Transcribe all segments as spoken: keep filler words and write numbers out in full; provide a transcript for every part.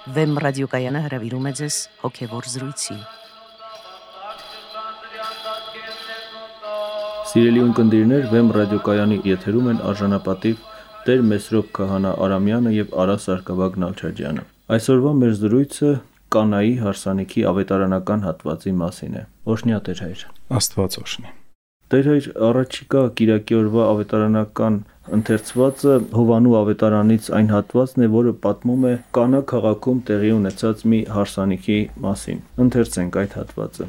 Վեմ ռադիոկայանը հրավիրում է ձեզ հոգևոր զրույցի։ Սիրելի ունկնդիրներ, Վեմ ռադիոկայանի եթերում են արժանապատիվ Տեր Մեսրոպ Քահանա Արամյանը եւ Արա Սարգսակյան Նալչաջյանը։ Այսօրվա մեր զրույցը Կանայի հարսանիքի ավետարանական հատվածի մասին է։ Օրհնյա Տեր հայր։ Աստված օրհնի։ Տեր հայր, առաջիկա կիրակի օրվա ավետարանական ընթերցվածը Հովանու ավետարանից այն հատվածն է, որը պատմում է Կանա քաղաքում տեղի ունեցած մի հարսանիքի մասին։ Ընթերցենք այդ հատվածը։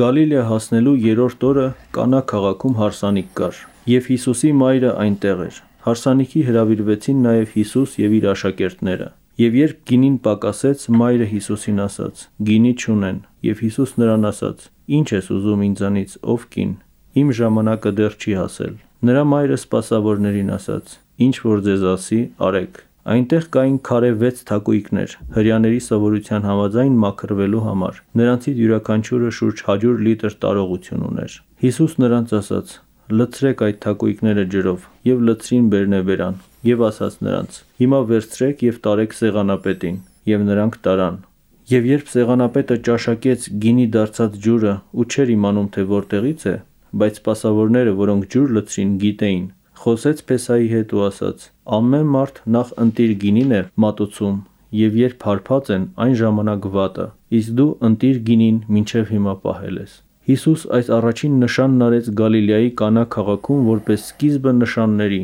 Գալիլեա հասնելու երրորդ օրը Կանա քաղաքում հարսանիք կար, եւ Հիսուսի մայրը այնտեղ էր։ Հարսանիքի հրավիրվեցին նաեւ Հիսուս եւ իր աշակերտները։ Եվ երբ գինին պակասեց, մայրը Հիսուսին ասաց. «Գինի չունեն», եւ Հիսուս նրան ասաց. «Ինչ ես ուզում ինձանից, ով կին, իմ ժամանակը դեռ չի հասել»։ Նրա մայրը սպասավորներին ասաց. «Ինչ որ ձեզ ասի, արեք»։ Այնտեղ կային քարե վեց թակույկներ, հրեաների սովորության համաձայն մաքրվելու համար։ Նրանցից յուրաքանչյուրը շուրջ հարյուր լիտր տարողություն ուներ։ Հիսուս նրանց ասաց. «Լցրեք այդ թակույկները ջրով», եւ լցրին բերնեբերան, եւ ասաց նրանց. «Հիմա վերցրեք եւ տարեք սեղանապետին», եւ նրանք տարան։ Եվ երբ սեղանապետը ճաշակեց գինի դարձած ջուրը ու չէր իմանում, թե որտեղից է, բայց սպասավորները, որոնք ջուր լցրին, գիտեին, խոսեց Փեսայի հետ ու ասաց. «Ամեն մարդ նախ ընտիր գինին է մատուցում, եւ երբ հարբած են, այն ժամանակ վատը, իսկ դու ընտիր գինին մինչև հիմա պահել ես»։ Հիսուս այս առաջին նշանն արեց Գալիլեայի Կանա քաղաքում որպես սկիզբը նշանների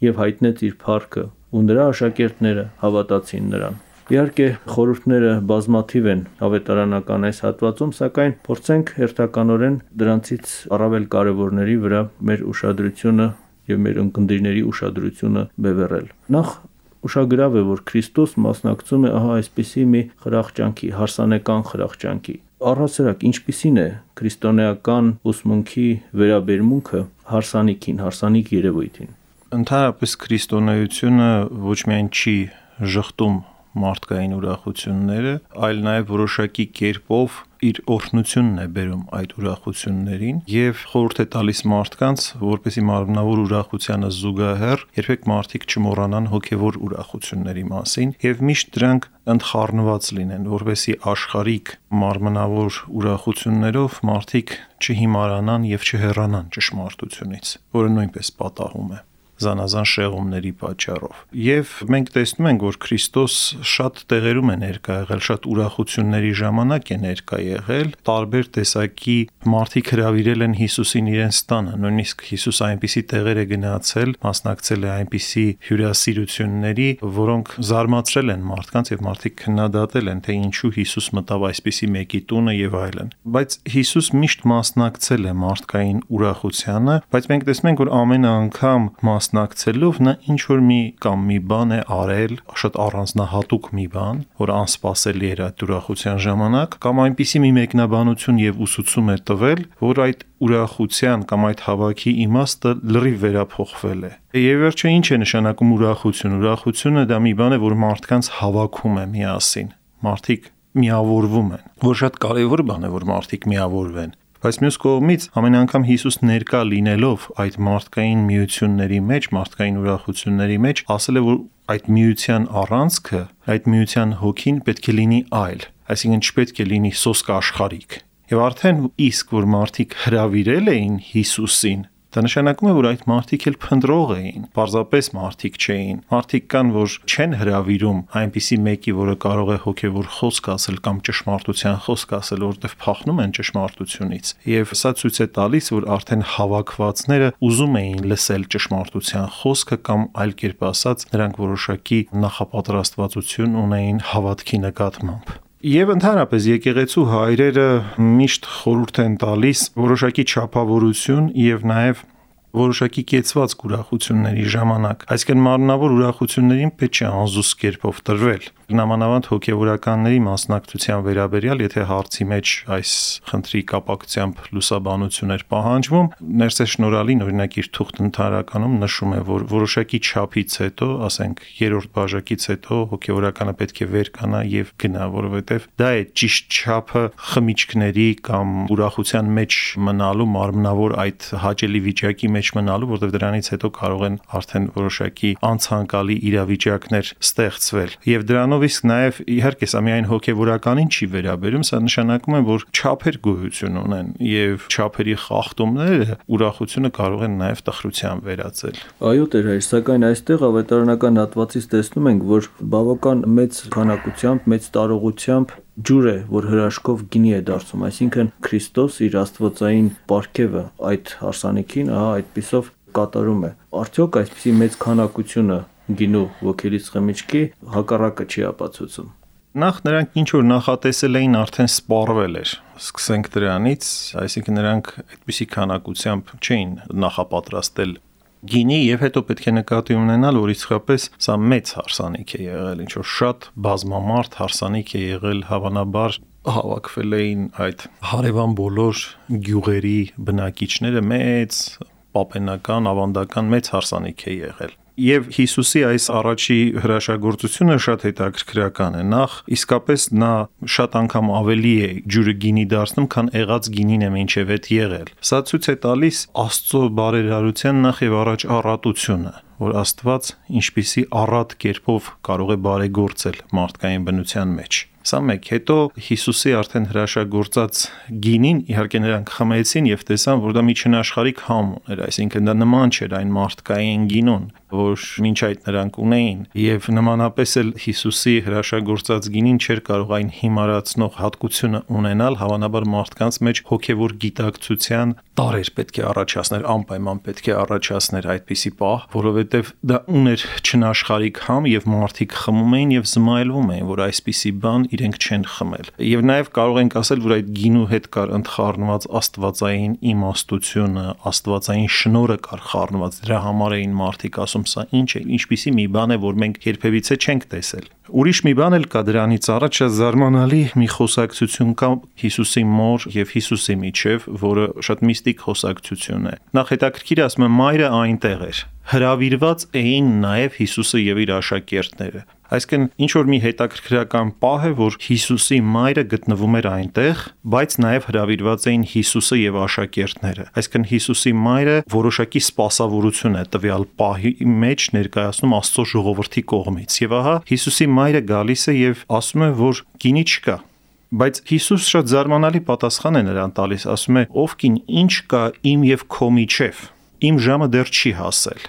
եւ հայտնեց իր փառքը, ու նրա աշակերտները հավատացին նրան։ Իհարկե, խորհուրդները բազմաթիվ են ավետարանական այս հատվածում, սակայն փորձենք հերթականորեն դրանցից առավել կարևորների վրա մեր ուշադրությունը եւ մեր ունկնդիրների ուշադրությունը բևեռել։ Նախ ուշագրավ է, որ Քրիստոս մասնակցում է ահա այսպիսի մի խրախճանքի, հարսանեկան խրախճանքի։ Առհասարակ ինչպիսին է քրիստոնեական ուսմունքի վերաբերմունքը հարսանիքին, հարսանիք երևույթին։ Ընդհանրապես քրիստոնեությունը ոչ միայն չի ժխտում մարդկային ուրախությունները, այլ նաև որոշակի կերպով իր օրհնությունն է բերում այդ ուրախություններին եւ խորհուրդ է տալիս մարդկանց, որպեսզի մարմնավոր ուրախությանը զուգահեռ երբեք մարդիկ չմոռանան հոգեվոր ուրախությունների մասին եւ միշտ դրանք ընդխառնված լինեն, որպեսզի աշխարհիկ մարմնավոր ուրախություններով մարդիկ չհիմարանան եւ չհեռանան ճշմարտությունից, որը նույնպես պատահում է զանազան շեղումների պատճառով։ Եվ մենք տեսնում ենք, որ Քրիստոս շատ տեղերում է ներկա եղել, շատ ուրախությունների ժամանակ է ներկա եղել, տարբեր տեսակի մարդիկ հրավիրել են Հիսուսին իրենց տանը, նույնիսկ Հիսուս այնպիսի տեղեր է գնացել, մասնակցել է այնպիսի հյուրասիրությունների, որոնք զարմացրել են մարդկանց եւ մարդիկ քննադատել են, թե ինչու Հիսուս մտավ այսպիսի մեկի տունը եւ այլն։ Բայց Հիսուս միշտ մասնակցել է մարդկային ուրախությանը, բայց մենք տեսնում ենք, որ ամեն անգամ մասնակցելով նա ինչ որ մի կամ մի բան է արել, շատ առանձնահատուկ մի բան, որ անսպասելի էր այդ ուրախության ժամանակ, կամ այնպիսի մի մեկնաբանություն եւ ուսուցում է տվել, որ այդ ուրախության կամ այդ հավաքի իմաստը լրիվ վերափոխվել է։ Եվ վերջը ինչ է նշանակում ուրախություն։ Ուրախությունը դա մի բան է, որ մարդկանց հավաքում է միասին։ Մարդիկ միավորվում են, որ շատ կարևոր բան է, որ մարդիկ միավորվեն։ Բայց մյուս կողմից ամեն անգամ Հիսուս ներկա լինելով այդ մարդկային միությունների մեջ, մարդկային ուրախությունների մեջ, ասել է, որ այդ միության առանցքը, այդ միության հոգին պետք է լինի այլ, այսինքն չպետք է լինի սոսկ աշխարհիկ։ Եվ արդեն իսկ որ մարդիկ հրավիրել էին Հիսուսին, դա նշանակում է, որ այդ մարդիկ էլ փնտրող էին, պարզապես մարդիկ չէին։ Մարդիկ կան, որ չեն հրավիրում այնպիսի մեկի, որը կարող է հոգևոր խոսք ասել կամ ճշմարտության խոսք ասել, որովհետև փախնում են ճշմարտությունից։ Եվ սա ցույց է տալիս, որ արդեն հավաքվածները ուզում էին լսել ճշմարտության խոսքը կամ այլ կերպ ասած, նրանք որոշակի նախապատրաստվածություն ունեին հավատքի նկատմամբ։ Եվ ընդհանրապես եկեղեցու հայրերը միշտ խորհուրդ են տալիս որոշակի չափավորություն եւ նաեւ որոշակի կեցված ուրախությունների ժամանակ, այսինքն մարմնավոր ուրախություններին պետք չէ անզուս կերպով տրվել։ Նամանավանդ հոգեվորականների մասնակցության վերաբերյալ, եթե հարցի մեջ այս խնդրի կապակցությամբ լուսաբանություն էր պահանջվում, Ներսե Շնորհալին օրինակ իր թուղթ ընդհանրականում նշում է, որ որոշակի չափից հետո, ասենք երրորդ բաժակից հետո հոգեվորականը պետք է վեր կանա եւ գնա, որովհետեւ դա է ճիշտ չափը խմիչքների կամ ուրախության մեջ մնալու մարմնավոր այդ հաճելի վիճակի մեջ մեջ մնալու, որտեղ դրանից հետո կարող են արդեն որոշակի անցանկալի իրավիճակներ ստեղծվել։ Եվ դրանով իսկ նաև իհարկե սա միայն հոգևորականին չի վերաբերում, սա նշանակում է, որ չափեր գոյություն ունեն եւ չափերի խախտումները ուրախությունը կարող են նաև տխրության վերածել։ Այո, Տեր հայր, սակայն այստեղ ավետարանական հատվածից տեսնում ենք, որ բավական մեծ քանակությամբ, մեծ տարողությամբ ջուր է, որ հրաշքով գինի է դարձում, այսինքն Քրիստոս իր աստվածային պարգևը այդ հարսանիքին, ահա այդպիսով կատարում է։ Արդյոք այսպիսի մեծ քանակությունը գինու ոգելից խմիչքի հակառակը չի ապացուցում։ Նախ նրանք ինչ որ նախատեսել էին, արդեն սպառվել էր։ Սկսենք դրանից, այսինքն նրանք այդպիսի քանակությամբ չէին նախապատրաստել գինի եւ հետո պետք է նկատի ունենալ, որ իսկապես սա մեծ հարսանիք է եղել, ինչ որ շատ բազմամարդ հարսանիք է եղել, հավանաբար հավաքվել էին այդ հարևան բոլոր գյուղերի բնակիչները, մեծ պապենական, ավանդական մեծ հարսանիք է եղել։ Եվ Հիսուսի այս առաջի հրաշագործությունը շատ հետաքրքրական է։ Նախ իսկապես նա շատ անգամ ավելի է ջուրը գինի դարձնում, քան եղած գինին է մինչև այդ եղել։ Սա ցույց է տալիս Աստծո բարերարության նախ եւ առաջ առատությունը, որ Աստված ինչպիսի առատ կերպով կարող է բարեգործել մարդկային բնության մեջ։ Սա մեկ, հետո Հիսուսի արդեն հրաշագործած գինին իհարկե նրանք խմեցին եւ տեսան, որ դա մի չնաշխարհիկ համ ուներ, այսինքն դա նման չէր այն մարդկային գինուն, որ մինչ այդ նրանք ունեին, եւ նմանապես էլ Հիսուսի հրաշագործած գինին չէր կարող այն հիմարացնող հատկությունը ունենալ, հավանաբար մարդկանց մեջ հոգեվոր գիտակցության տարեր պետք է առաջացներ, անպայման պետք է առաջացներ այդպիսի պահ, որովհետեւ դա ուներ չնաշխարհիկ համ եւ մարդիկ խմում էին եւ զմայլվում էին, որ այսպիսի բան իրենք չեն խմել։ Եվ նաև կարող ենք ասել, որ այդ գինու հետ կար ընդխառնված աստվածային իմաստությունը, աստվածային շնորհը կար խառնված։ Դրա համար էին մարդիկ ասում, սա ինչ է, ինչպիսի մի բան է, որ մենք երբևիցե չենք տեսել։ Ուրիշ մի բան էլ կա դրանից առաջ, զարմանալի մի խոսակցություն կա Հիսուսի մոր եւ Հիսուսի միջև, որը շատ միստիկ խոսակցություն է։ Նախ հետաքրքիր ասում եմ, մայրը այնտեղ էր։ Հրավիրված էին նաև Հիսուսը եւ իր աշակերտները։ Այսինքն ինչ որ մի հետաքրքրական պահ է, որ Հիսուսի մայրը գտնվում էր այնտեղ, բայց նաև հրավիրված էին Հիսուսը եւ աշակերտները։ Այսինքն Հիսուսի մայրը որոշակի սպասավորություն է տվյալ պահի մեջ ներկայացնում Աստծո ժողովրդի կողմից։ Եվ ահա Հիսուսի մայրը գալիս է եւ ասում է, որ գինի չկա։ Բայց Հիսուս շատ զարմանալի պատասխան է նրան տալիս, ասում է. «Ով կին, ինչ կա իմ եւ քո միջև, իմ ժամը դեռ չի հասել»։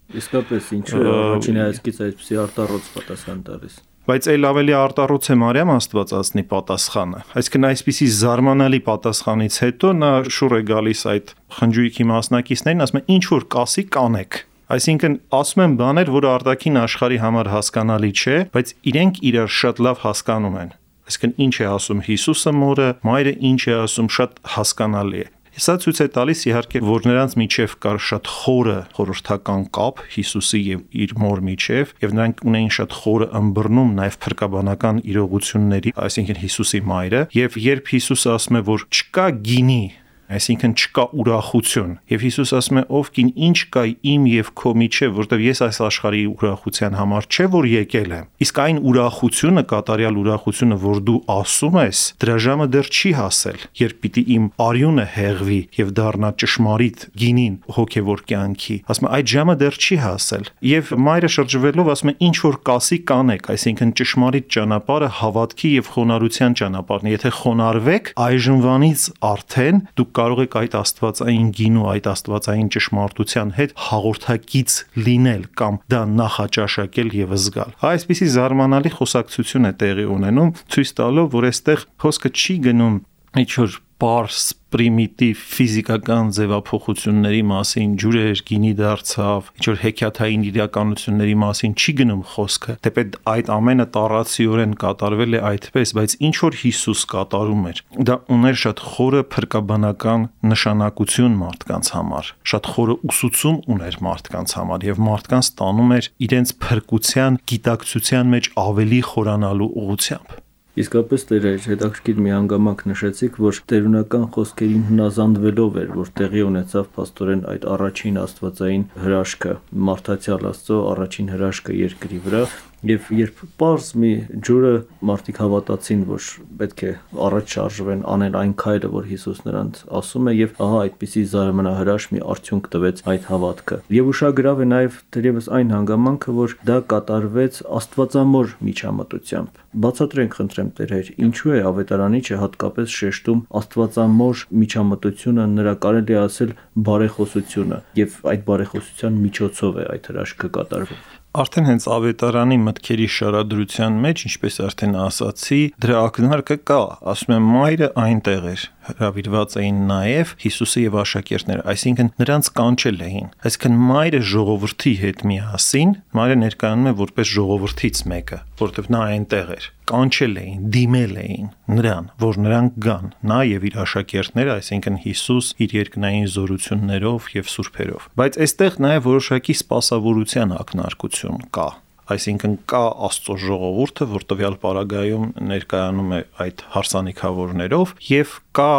Իսկապես ինչու առաջին հայացքից այսպեսի արտառոց պատասխան տալիս։ Բայց այլ ավելի արտառոց է Մարիամ Աստվածածնի պատասխանը։ Այսինքն այսպիսի զարմանալի պատասխանից հետո նա շուռ է գալիս այդ խնջույքի մասնակիցներին, ասում է ինչ որ կասի կանեք։ Այսինքն ասում են բաներ, որը արտաքին աշխարհի համար հասկանալի չէ, բայց իրենք իրար շատ լավ հասկանում են։ Այսինքն ինչ է ասում Հիսուսը մորը, մայրը ինչ է ասում, շատ հասկանալի է։ Սա ցույց է տալիս իհարկե, որ նրանց միջև կար շատ խորը խորհրդական կապ Հիսուսի եւ իր մոր միջև, եւ նրանք ունեին շատ խորը ըմբռնում նաեւ փրկաբանական իրողությունների, այսինքն Հիսուսի մայրը, եւ երբ Հիսուսը ասում է, որ չկա գինի, այսինքն չկա ուրախություն, եւ Հիսուս ասում է, ով կին, ինչ կա իմ եւ քո միջև, որտեւ ես այս աշխարհի ուրախության համար չէ որ եկել եմ, իսկ այն ուրախությունը, կատարյալ ուրախությունը, որ դու ասում ես, դրա ժամը դեռ չի հասել, երբ պիտի իմ արյունը հեղվի եւ դառնա ճշմարիտ գինին հոգեվոր կյանքի, ասում է այդ ժամը դեռ չի հասել, եւ մայրը շրջվելով ասում է, ինչ որ կասի կանեք, այսինքն ճշմարիտ ճանապարհը հավատքի եւ խոնարհության ճանապարհն է, եթե խոնարհվեք, այժմվանից արդեն դուք կարող եք այդ աստվածային գինու, այդ աստվածային ճշմարտության հետ հաղորդակից լինել կամ դա նախաճաշակել եւ զգալ։ Այսպիսի զարմանալի խոսակցություն է տեղի ունենում, ցույց տալով, որ այստեղ խոսքը չի գնում ինչ որ պարզ պրիմիտիվ ֆիզիկական ձևափոխությունների մասին, ջուրեր գինի դարձավ, ինչ որ հեքիաթային իրականությունների մասին չի գնում խոսքը, թեպետ այդ ամենը տառացիորեն կատարվել է այդպես, բայց ինչ որ Հիսուս կատարում էր, դա ուներ շատ խորը փրկաբանական նշանակություն մարդկանց համար, շատ խորը ուսուցում ուներ մարդկանց համար եւ մարդկանց տանում էր իրենց փրկության գիտակցության մեջ ավելի խորանալու ուղղությամբ։ Իսկապես Տեր հայր, հետաքրքիր մի հանգամանք նշեցիք, որ տերունական խոսքերին հնազանդվելով էր, որ տեղի ունեցավ փաստորեն այդ առաջին աստվածային հրաշքը, մարդացյալ Աստծո առաջին հրաշքը երկրի վրա, Եվ երբ պարզ մի ջուրը մարդիկ հավատացին, որ պետք է առաջ շարժվեն, անեն այն քայլը, որ Հիսուս նրանց ասում է, եւ ահա այդպիսի զարմանահրաշ մի արդյունք տվեց այդ հավատքը։ Եվ ուշագրավ է նաեւ դերևս այն հանգամանքը, որ դա կատարվեց Աստվածամոր միջամտությամբ։ Բացատրենք խնդրեմ Տեր Հայր, ինչու է ավետարանիչը հատկապես շեշտում Աստվածամոր միջամտությունը, նրա կարելի է ասել բարեխոսությունը, եւ այդ բարեխոսության միջոցով է այդ հրաշքը կատարվում։ Արդեն հենց ավետարանի մտքերի շարադրության մեջ, ինչպես արդեն ասացի, դրա ակնարկը կա, ասում եմ մայրը այնտեղ էր, հրավիրված էին նաև Հիսուսը եւ աշակերտները, այսինքն նրանց կանչել էին։ Այսինքն մայրը ժողովրդի հետ միասին, մայրը ներկայանում է որպես ժողովրդից մեկը, որովհետեւ նա այնտեղ էր, կանչել էին, դիմել էին նրան, որ նրանք գան, նա եւ իր աշակերտները, այսինքն Հիսուս իր երկնային զորություններով եւ սուրբերով։ Բայց այստեղ նաեւ որոշակի սպասավորության ակնարկություն կա։ Այսինքն կա Աստծո ժողովուրդը, որ տվյալ պարագայում ներկայանում է այդ հարսանիքավորներով, եւ կա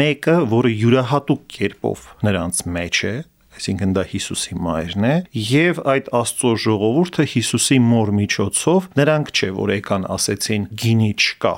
մեկը, որը յուրահատուկ կերպով նրանց մեջ է, այսինքն դա Հիսուսի մայրն է, եւ այդ Աստծո ժողովուրդը Հիսուսի մոր միջոցով նրանք չէ, որ եկան ասեցին գինի չկա,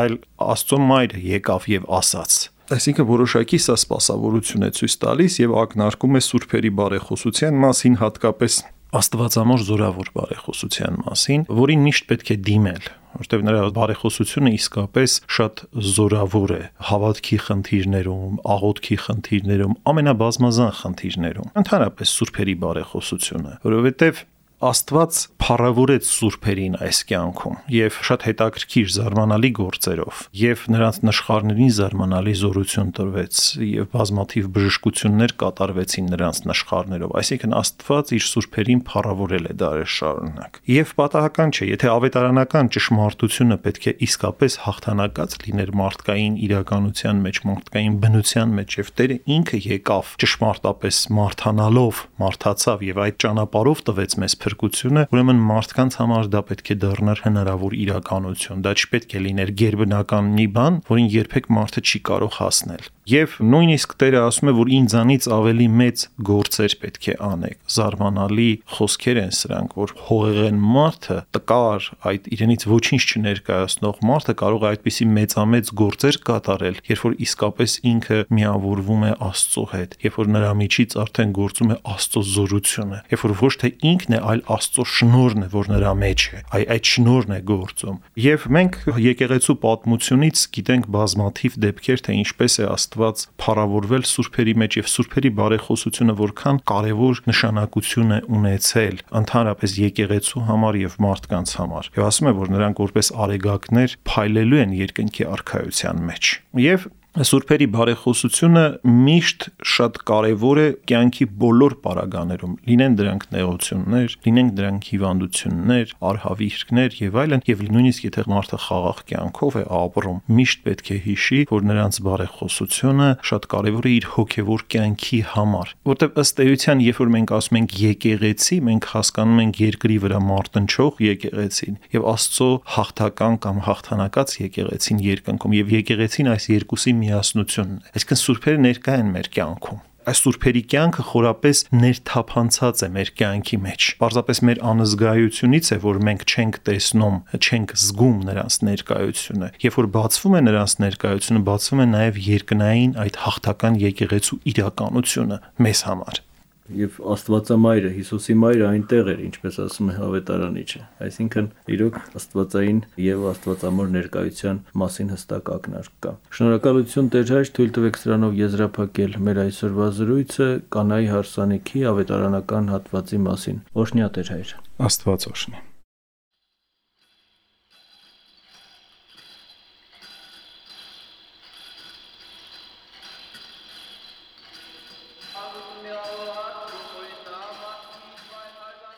այլ Աստծո մայրը եկավ եւ ասաց։ Այսինքն որոշակի սա սպասավորություն է ցույց տալիս եւ ակնարկում է սուրբերի բարեխոսության մասին, հատկապես Աստվածամոր զորավոր բարեխոսության մասին, որին միշտ պետք է դիմել, որտեղ նրա բարեխոսությունը իսկապես շատ զորավոր է հավատքի խնդիրներում, աղոթքի խնդիրներում, ամենաբազմազան խնդիրներում, ընդհանրապես սուրբերի բարեխոսությունը, որովհետև Աստված փառավորեց սուրբերին այս կյանքում եւ շատ հետաքրքիր զարմանալի գործերով եւ նրանց նշխարներին զարմանալի զորություն տրվեց եւ բազմաթիվ բժշկություններ կատարվեցին նրանց նշխարներով, այսինքն Աստված իր սուրբերին փառավորել է դարեր շարունակ։ Եվ պատահական չէ, եթե ավետարանական ճշմարտությունը պետք է իսկապես հաղթանակած լիներ մարդկային իրականության մեջ, մարդկային բնության մեջ եւ Տերը ինքը եկավ ճշմարտապես մարդանալով, մարդացավ եւ այդ ճանապարհով տվեց մեզ փրկությունը, ուրեմն մարդկանց համար դա պետք է դառնար հնարավոր իրականություն, դա չպետք է լիներ գերբնական մի բան, որին երբեք մարդը չի կարող հասնել։ Եվ նույնիսկ Տերը ասում է, որ ինձանից ավելի մեծ գործեր պետք է անեք։ Զարմանալի խոսքեր են սրանք, որ հողեղեն մարդը, տկար, այդ իրենից ոչինչ չներկայացնող մարդը կարող է այդպիսի մեծամեծ գործեր կատարել, երբ որ իսկապես ինքը միավորվում է Աստծո հետ, երբ որ նրա միջից արդեն գործում է Աստծո զորությունը, երբ որ ոչ թե ինքն է, այլ Աստծո շնորհն է, որ նրա մեջ է, այ այդ շնորհն է գործում։ Եվ մենք եկեղեցու պատմությունից գիտենք բազմաթիվ դեպքեր, թե ինչպես է Աստված փառավորվել սուրբերի մեջ եւ սուրբերի բարեխոսությունը որքան կարեւոր նշանակություն է ունեցել ընդհանրապես եկեղեցու համար եւ մարդկանց համար։ Եվ ասում է, որ նրանք որպես արեգակներ փայլելու են երկնքի արքայության մեջ։ Եվ Սուրբերի բարեխոսությունը միշտ շատ կարևոր է կյանքի բոլոր պարագաներում, լինեն դրանք նեղություններ, լինեն դրանք հիվանդություններ, արհավիրքներ եւ այլն, եւ նույնիսկ եթե մարդը խաղաղ կյանքով է ապրում, միշտ պետք է հիշի, որ նրանց բարեխոսությունը շատ կարևոր է իր հոգեվոր կյանքի համար, որտեղ ըստ էության, երբ որ մենք ասում ենք եկեղեցի, մենք հասկանում ենք երկրի վրա մարտնչող եկեղեցին եւ Աստծո հաղթական կամ հաղթանակած եկեղեցին երկնքում եւ եկեղեցին այս երկուսի միասնությունն է։ Այսինքն սուրբերը ներկա են մեր կյանքում։ Այս սուրբերի կյանքը խորապես ներթափանցած է մեր կյանքի մեջ։ Պարզապես մեր անզգայությունից է, որ մենք չենք տեսնում, չենք զգում նրանց ներկայությունը։ Երբ որ բացվում է նրանց ներկայությունը, բացվում է նաև երկնային այդ հաղթական եկեղեցու իրականությունը մեզ համար։ Եվ Աստվածամայրը, Հիսուսի մայրը այնտեղ էր, ինչպես ասում է ավետարանիչը։ Այսինքն, իրոք Աստվածային եւ Աստվածամոր ներկայության մասին հստակ ակնարկ կա։ Շնորհակալություն Տեր Հայր, թույլ տվեք սրանով եզրափակել մեր այսօրվա զրույցը կանայի հարսանիքի ավետարանական հատվածի մասին։ Օրհնյա Տեր Հայր։ Աստված օրհնի։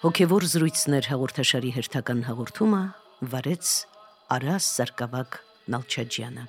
Հոգևոր զրույցներ հաղորդաշարի հերթական հաղորդումը վարեց Արաս Սարգսակ Նալչաջյանը։